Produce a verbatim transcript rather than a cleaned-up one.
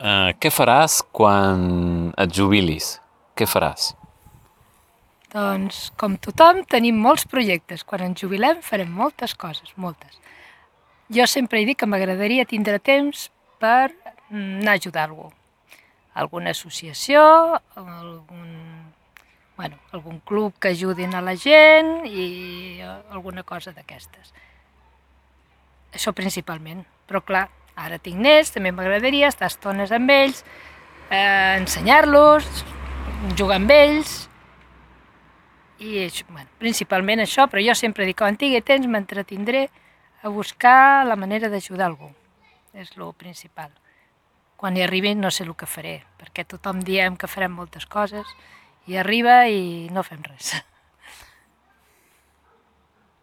Uh, què faràs quan et jubilis? Què faràs? Doncs, com tothom, tenim molts projectes. Quan ens jubilem farem moltes coses, moltes. Jo sempre he dit que m'agradaria tindre temps per anar a ajudar algú. Alguna associació, algun, bueno, algun club que ajudin a la gent i alguna cosa d'aquestes. Això principalment. Però clar, ara tinc nets, també m'agradaria estar estones amb ells, eh, ensenyar-los, jugar amb ells, i bueno, principalment això, però jo sempre dic que quan tingui temps m'entretindré a buscar la manera d'ajudar algú. És el principal. Quan hi arribi no sé el que faré, perquè tothom diem que farem moltes coses i arriba i no fem res.